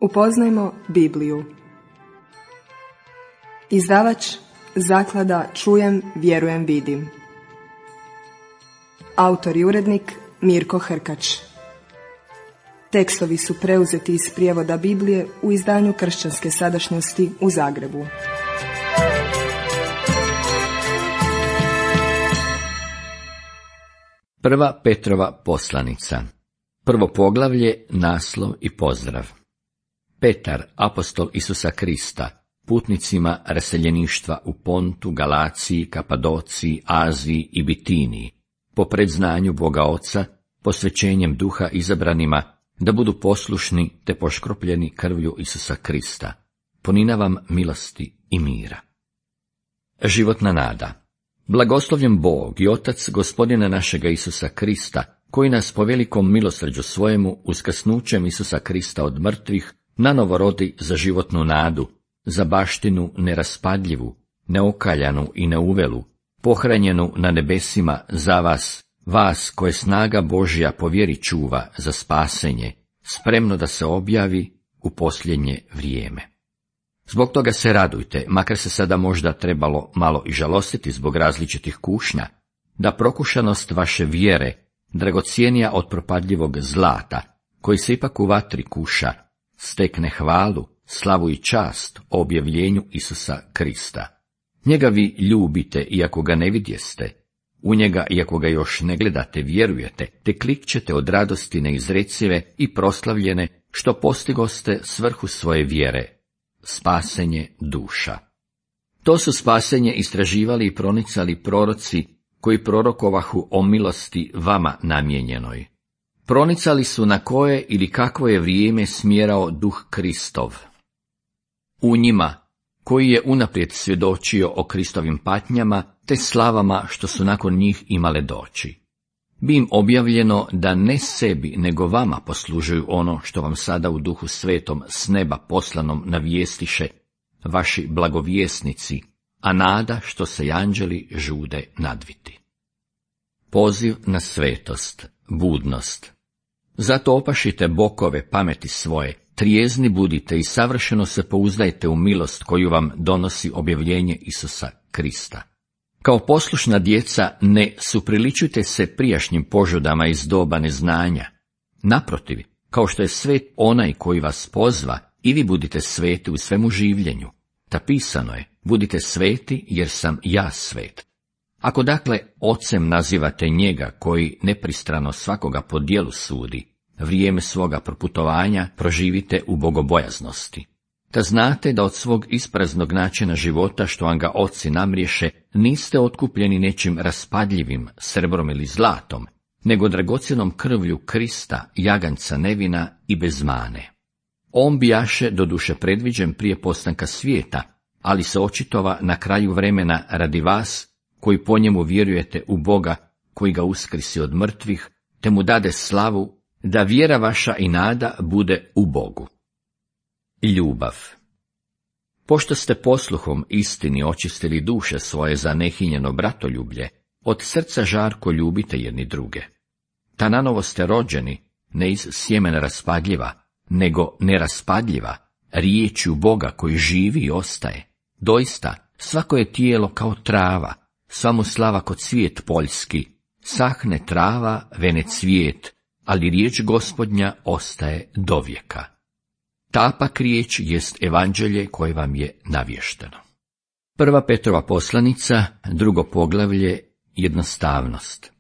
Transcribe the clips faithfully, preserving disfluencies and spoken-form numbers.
Upoznajmo Bibliju. Izdavač Zaklada Čujem, vjerujem, vidim. Autor i urednik Mirko Hrkač. Tekstovi su preuzeti iz prijevoda Biblije u izdanju Kršćanske sadašnjosti u Zagrebu. Prva Petrova poslanica. Prvo poglavlje, naslov i pozdrav. Petar, apostol Isusa Krista, putnicima raseljeništva u Pontu, Galaciji, Kapadociji, Aziji i Bitiniji, po predznanju Boga Oca, posvećenjem duha izabranima, da budu poslušni te poškropljeni krvlju Isusa Krista. Ponina vam milosti i mira. Životna nada. Blagoslovljen Bog i Otac Gospodina našega Isusa Krista, koji nas po velikom milosrđu svojemu uskrsnućem Isusa Krista od mrtvih nanovo rodi za životnu nadu, za baštinu neraspadljivu, neokaljanu i neuvelu, pohranjenu na nebesima za vas, vas koje snaga Božja po vjeri čuva za spasenje, spremno da se objavi u posljednje vrijeme. Zbog toga se radujte, makar se sada možda trebalo malo i žalostiti zbog različitih kušnja, da prokušanost vaše vjere, dragocijenija od propadljivog zlata, koji se ipak u vatri kuša, stekne hvalu, slavu i čast o objavljenju Isusa Krista. Njega vi ljubite, iako ga ne vidjeste, u njega, iako ga još ne gledate, vjerujete, te klikćete od radosti neizrecive i proslavljene, što postigoste svrhu svoje vjere, spasenje duša. To su spasenje istraživali i pronicali proroci, koji prorokovahu o milosti vama namijenjenoj. Pronicali su na koje ili kakvo je vrijeme smjerao duh Kristov. U njima, koji je unaprijed svjedočio o Kristovim patnjama, te slavama što su nakon njih imale doći. Bi im objavljeno da ne sebi, nego vama poslužuju ono što vam sada u duhu svetom s neba poslanom navijestiše vaši blagovjesnici, a nada što se anđeli žude nadviti. Poziv na svetost, budnost. Zato opašite bokove pameti svoje, trijezni budite i savršeno se pouzdajte u milost koju vam donosi objavljenje Isusa Krista. Kao poslušna djeca ne supriličujte se prijašnjim požudama iz doba neznanja. Naprotiv, kao što je svet onaj koji vas pozva, i vi budite sveti u svemu življenju. Ta pisano je, budite sveti jer sam ja svet. Ako dakle ocem nazivate njega koji nepristrano svakoga po djelu sudi, vrijeme svoga proputovanja proživite u bogobojaznosti. Da znate da od svog ispraznog načina života što vam ga oci namriješe, niste otkupljeni nečim raspadljivim, srebrom ili zlatom, nego dragocjenom krvlju Krista, jaganca nevina i bez mane. On bijaše doduše predviđen prije postanka svijeta, ali se očitova na kraju vremena radi vas, koji po njemu vjerujete u Boga, koji ga uskrisi od mrtvih, te mu dade slavu, da vjera vaša i nada bude u Bogu. Ljubav. Pošto ste posluhom istini očistili duše svoje za nehinjeno bratoljublje, od srca žarko ljubite jedni druge. Ta nanovo ste rođeni, ne iz sjemena raspadljiva, nego neraspadljiva, riječju Boga koji živi i ostaje. Doista, svako je tijelo kao trava, sva mu slava ko cvijet poljski, sahne trava, vene cvijet, ali riječ Gospodnja ostaje dovijeka. Ta pak riječ jest evanđelje koje vam je navješteno. Prva Petrova poslanica, drugo poglavlje, jednostavnost.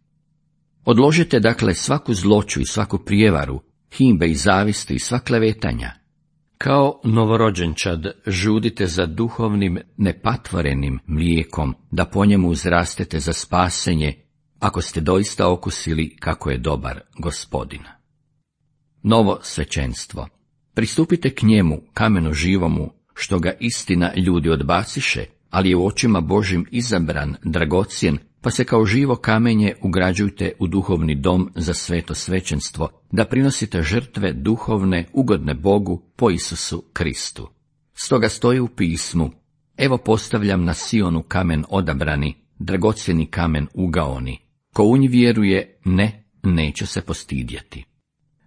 Odložite dakle svaku zloću i svaku prijevaru, himbe i zavisti i sva klevetanja. Kao novorođenčad žudite za duhovnim nepatvorenim mlijekom, da po njemu uzrastete za spasenje, ako ste doista okusili kako je dobar Gospodin. Novo svećenstvo. Pristupite k njemu, kamenu živomu, što ga istina ljudi odbaciše, ali je u očima Božim izabran, dragocjen, pa se kao živo kamenje ugrađujte u duhovni dom za sveto svećenstvo, da prinosite žrtve duhovne, ugodne Bogu po Isusu Kristu. Stoga stoji u pismu, evo postavljam na Sionu kamen odabrani, dragocjeni kamen ugaoni, ko u nj vjeruje, ne, neće se postidjeti.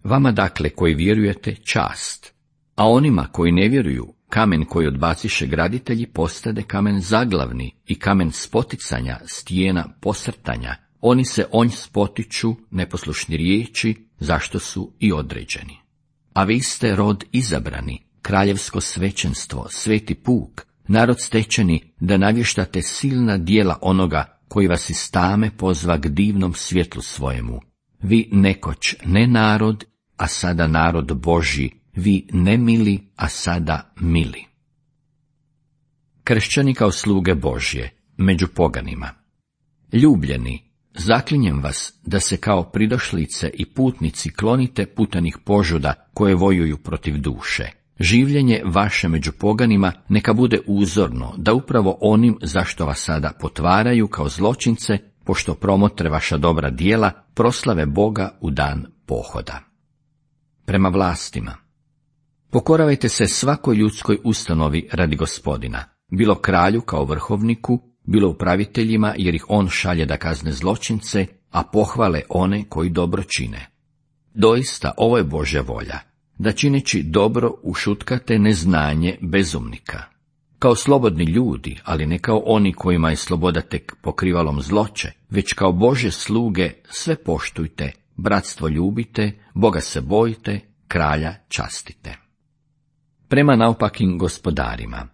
Vama dakle koji vjerujete čast, A onima koji ne vjeruju, kamen koji odbaciše graditelji postade kamen zaglavni i kamen spoticanja, stijena posrtanja. Oni se onj spotiču, neposlušni riječi, zašto su i određeni. A vi ste rod izabrani, kraljevsko svećenstvo, sveti puk, narod stečeni, da navještate silna djela onoga koji vas iz tame pozva k divnom svjetlu svojemu. Vi nekoć ne narod, a sada narod Božji, vi ne mili, a sada mili. Kršćani kao sluge Božje, među poganima. Ljubljeni, zaklinjem vas da se kao pridošlice i putnici klonite putanih požuda koje vojuju protiv duše. Življenje vaše među poganima neka bude uzorno, da upravo onim zašto vas sada potvaraju kao zločince, pošto promotre vaša dobra djela, proslave Boga u dan pohoda. Prema vlastima. Pokoravajte se svakoj ljudskoj ustanovi radi Gospodina, bilo kralju kao vrhovniku, bilo upraviteljima, jer ih on šalje da kazne zločince, a pohvale one koji dobro čine. Doista, ovo je Božja volja, da čineći dobro ušutkate neznanje bezumnika. Kao slobodni ljudi, ali ne kao oni kojima je sloboda tek pokrivalom zloće, već kao Božje sluge sve poštujte, bratstvo ljubite, Boga se bojite, kralja častite. Prema naopakim gospodarima.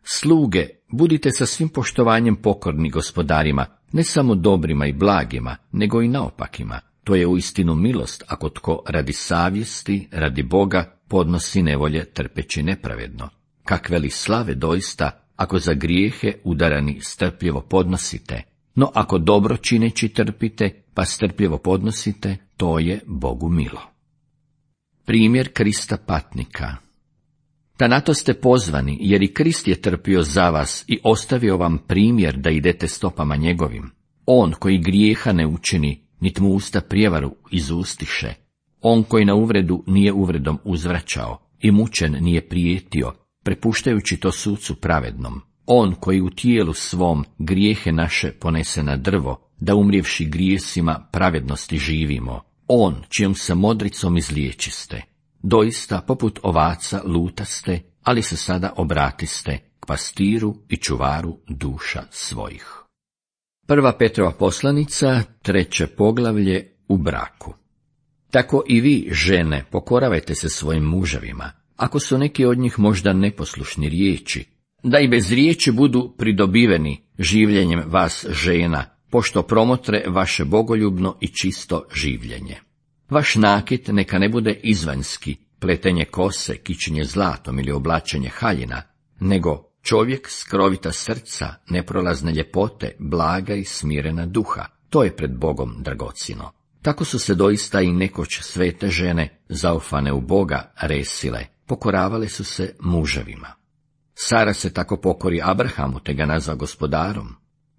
Sluge, budite sa svim poštovanjem pokorni gospodarima, ne samo dobrima i blagima, nego i naopakima. To je uistinu milost ako tko radi savjesti, radi Boga, podnosi nevolje trpeći nepravedno. Kakve li slave doista, ako za grijehe udarani strpljivo podnosite, no ako dobro čineći trpite, pa strpljivo podnosite, to je Bogu milo. Primjer Krista patnika. Da na to ste pozvani, jer i Krist je trpio za vas i ostavio vam primjer da idete stopama njegovim. On koji grijeha ne učini, nit mu usta prijevaru izustiše. On koji na uvredu nije uvredom uzvraćao i mučen nije prijetio, prepuštajući to sucu pravednom. On koji u tijelu svom grijehe naše ponese na drvo, da umrijevši grijesima pravednosti živimo. On čijom se modricom izliječiste. Doista, poput ovaca lutaste, ali se sada obratiste k pastiru i čuvaru duša svojih. Prva Petrova poslanica, treće poglavlje, u braku. Tako i vi, žene, pokoravajte se svojim muževima, ako su neki od njih možda neposlušni riječi, da i bez riječi budu pridobiveni življenjem vas žena, pošto promotre vaše bogoljubno i čisto življenje. Vaš nakit neka ne bude izvanjski, pletenje kose, kićenje zlatom ili oblačenje haljina, nego čovjek skrovita srca, neprolazne ljepote, blaga i smirena duha. To je pred Bogom dragocjeno. Tako su se doista i nekoć svete žene, zaufane u Boga, resile, pokoravale su se muževima. Sara se tako pokori Abrahamu, te ga nazva gospodarom.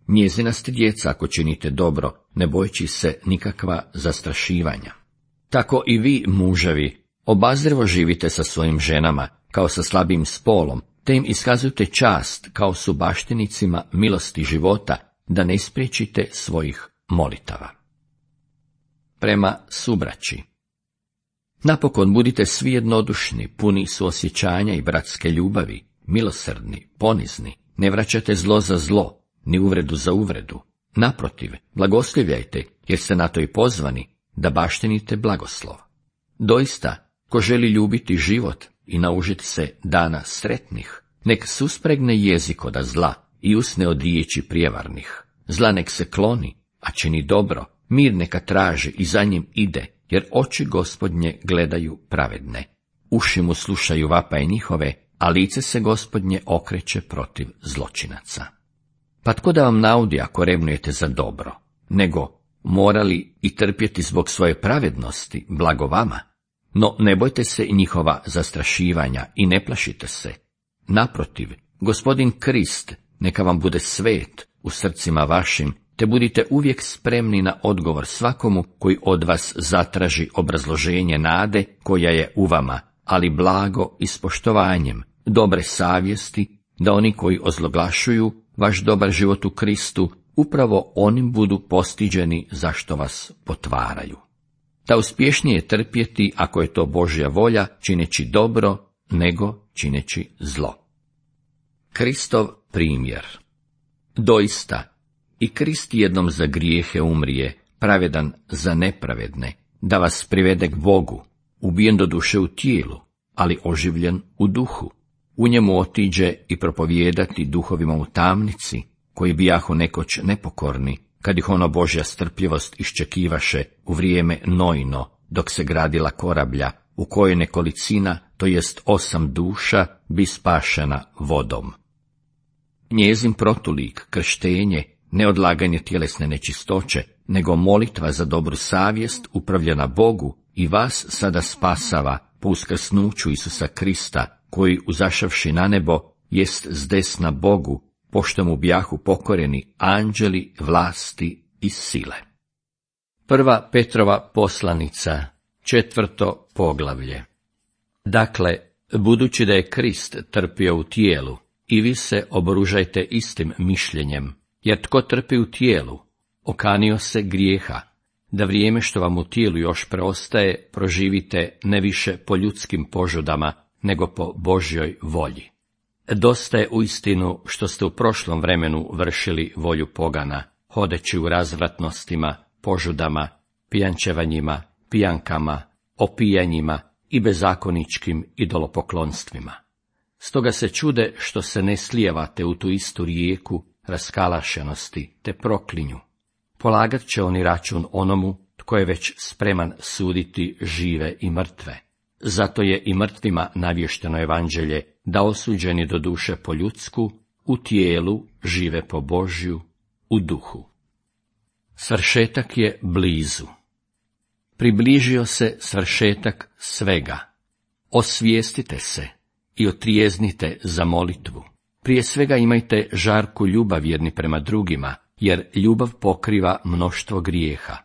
Njezina ste djeca ako činite dobro, ne bojeći se nikakva zastrašivanja. Tako i vi, muževi, obazrivo živite sa svojim ženama, kao sa slabim spolom, te im iskazujte čast kao su baštinicima milosti života, da ne ispriječite svojih molitava. Prema subraći. Napokon budite svi jednodušni, puni suosjećanja i bratske ljubavi, milosrdni, ponizni, ne vraćate zlo za zlo, ni uvredu za uvredu. Naprotiv, blagoslivljajte, jer ste na to i pozvani, da baštinite blagoslov. Doista, ko želi ljubiti život i naužiti se dana sretnih, nek suspregne jezik od zla i usne od riječi prijevarnih. Zla nek se kloni, a čini dobro, mir neka traži i za njim ide, jer oči Gospodnje gledaju pravedne. Uši mu slušaju vapaje njihove, a lice se Gospodnje okreće protiv zločinaca. Pa tko da vam naudi ako revnujete za dobro, nego morali i trpjeti zbog svoje pravednosti, blago vama? No ne bojte se njihova zastrašivanja i ne plašite se. Naprotiv, Gospodin Krist neka vam bude svet u srcima vašim, te budite uvijek spremni na odgovor svakomu koji od vas zatraži obrazloženje nade koja je u vama, ali blago i s poštovanjem, dobre savjesti, da oni koji ozloglašuju vaš dobar život u Kristu, upravo onim budu postiđeni zašto vas potvaraju. Da uspješnije trpjeti, ako je to Božja volja, čineći dobro nego čineći zlo. Kristov primjer. Doista, i Krist jednom za grijehe umrije, pravedan za nepravedne, da vas privede k Bogu, ubijen do duše u tijelu, ali oživljen u duhu. U njemu otiđe i propovijedati duhovima u tamnici, koji bijahu nekoć nepokorni, kad ih ono Božja strpljivost iščekivaše u vrijeme Nojino, dok se gradila korablja, u kojoj nekolicina, to jest osam duša, bi spašena vodom. Njezin protulik, krštenje, ne odlaganje tjelesne nečistoće, nego molitva za dobru savjest upravljena Bogu i vas sada spasava po uskrsnuću Isusa Krista, koji, uzašavši na nebo, jest zdesna Bogu, pošto mu bijahu pokoreni anđeli, vlasti i sile. Prva Petrova poslanica, četvrto poglavlje. Dakle, budući da je Krist trpio u tijelu, i vi se oboružajte istim mišljenjem, jer tko trpi u tijelu, okanio se grijeha, da vrijeme što vam u tijelu još preostaje, proživite ne više po ljudskim požudama, nego po Božjoj volji. Dosta je uistinu što ste u prošlom vremenu vršili volju pogana, hodeći u razvratnostima, požudama, pijančevanjima, pijankama, opijanjima i bezakoničkim idolopoklonstvima. Stoga se čude što se ne slijevate u tu istu rijeku raskalašenosti te proklinju. Polagat će oni račun onomu tko je već spreman suditi žive i mrtve. Zato je i mrtvima navješteno evanđelje, da osuđeni do duše po ljudsku, u tijelu žive po Božju, u duhu. Svršetak je blizu. Približio se svršetak svega. Osvijestite se i otrijeznite za molitvu. Prije svega imajte žarku ljubav jedni prema drugima, jer ljubav pokriva mnoštvo grijeha.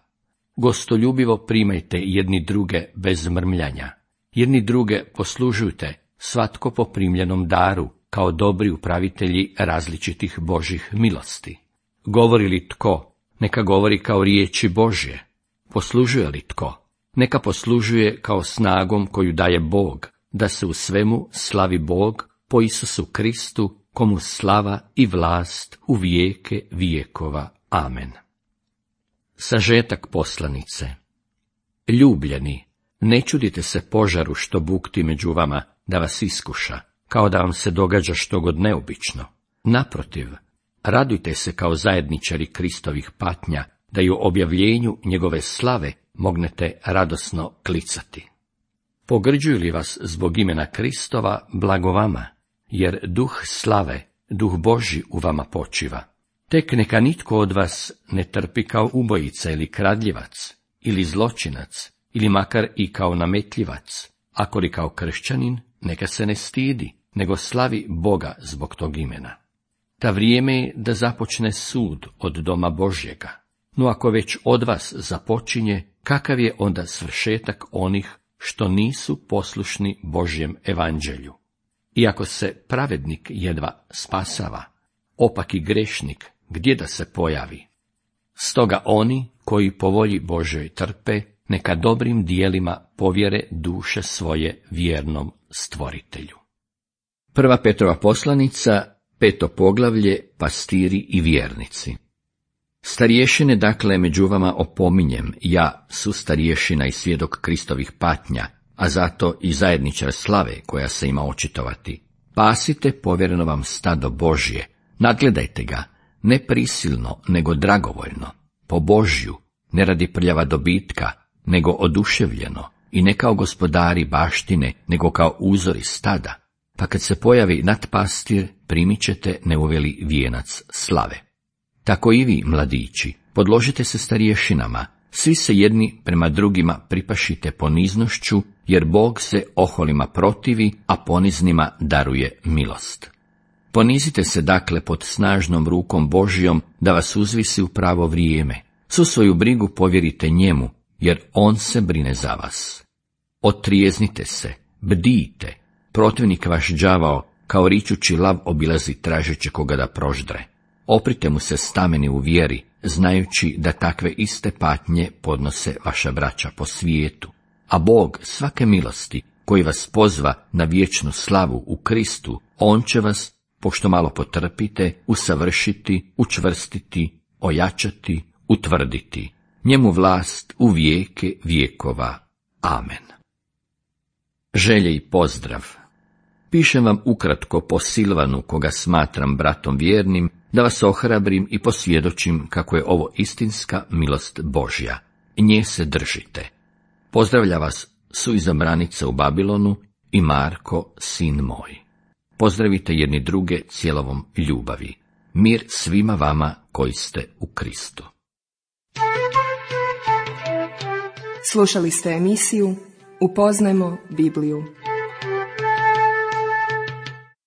Gostoljubivo primajte jedni druge bez mrmljanja. Jedni druge poslužujte, svatko po primljenom daru, kao dobri upravitelji različitih Božjih milosti. Govori li tko, neka govori kao riječi Božje. Poslužuje li tko, neka poslužuje kao snagom koju daje Bog, da se u svemu slavi Bog po Isusu Kristu, komu slava i vlast u vijeke vijekova. Amen. Sažetak poslanice. Ljubljeni, ne čudite se požaru što bukti među vama da vas iskuša, kao da vam se događa štogod neobično. Naprotiv, radujte se kao zajedničari Kristovih patnja, da i u objavljenju njegove slave mognete radosno klicati. Pogrđuju li vas zbog imena Kristova, blago vama, jer duh slave, duh Božji u vama počiva. Tek neka nitko od vas ne trpi kao ubojica ili kradljivac, ili zločinac, ili makar i kao nametljivac, ako li kao kršćanin, neka se ne stidi, nego slavi Boga zbog tog imena. Ta vrijeme je da započne sud od doma Božjega, no ako već od vas započinje, kakav je onda svršetak onih što nisu poslušni Božjem evanđelju? Iako se pravednik jedva spasava, opak i grešnik gdje da se pojavi? Stoga oni koji po volji Božjoj trpe, neka dobrim dijelima povjere duše svoje vjernom Stvoritelju. Prva Petrova poslanica, peto poglavlje, pastiri i vjernici. Starješine dakle među vama opominjem, ja su starješina i svjedok Kristovih patnja, a zato i zajedničar slave koja se ima očitovati. Pasite povjereno vam stado Božje, nadgledajte ga, ne prisilno, nego dragovoljno, po Božju, ne radi prljava dobitka, nego oduševljeno, i ne kao gospodari baštine, nego kao uzori stada, pa kad se pojavi nadpastir, primit ćete neuveli vijenac slave. Tako i vi, mladići, podložite se starješinama, svi se jedni prema drugima pripašite poniznošću, jer Bog se oholima protivi, a poniznima daruje milost. Ponizite se dakle pod snažnom rukom Božjom, da vas uzvisi u pravo vrijeme. Svu svoju brigu povjerite njemu, jer on se brine za vas. Otrijeznite se, bdijte, protivnik vaš đavao, kao ričući lav obilazi tražeći koga da proždre. Oprite mu se stameni u vjeri, znajući da takve iste patnje podnose vaša braća po svijetu. A Bog svake milosti, koji vas pozva na vječnu slavu u Kristu, on će vas, pošto malo potrpite, usavršiti, učvrstiti, ojačati, utvrditi. Njemu vlast u vijeke vjekova. Amen. Želje i pozdrav. Pišem vam ukratko po Silvanu, koga smatram bratom vjernim, da vas ohrabrim i posvjedočim kako je ovo istinska milost Božja. Nje se držite. Pozdravlja vas suizabranica u Babilonu i Marko, sin moj. Pozdravite jedni druge cijelovom ljubavi. Mir svima vama koji ste u Kristu. Slušali ste emisiju Upoznajmo Bibliju.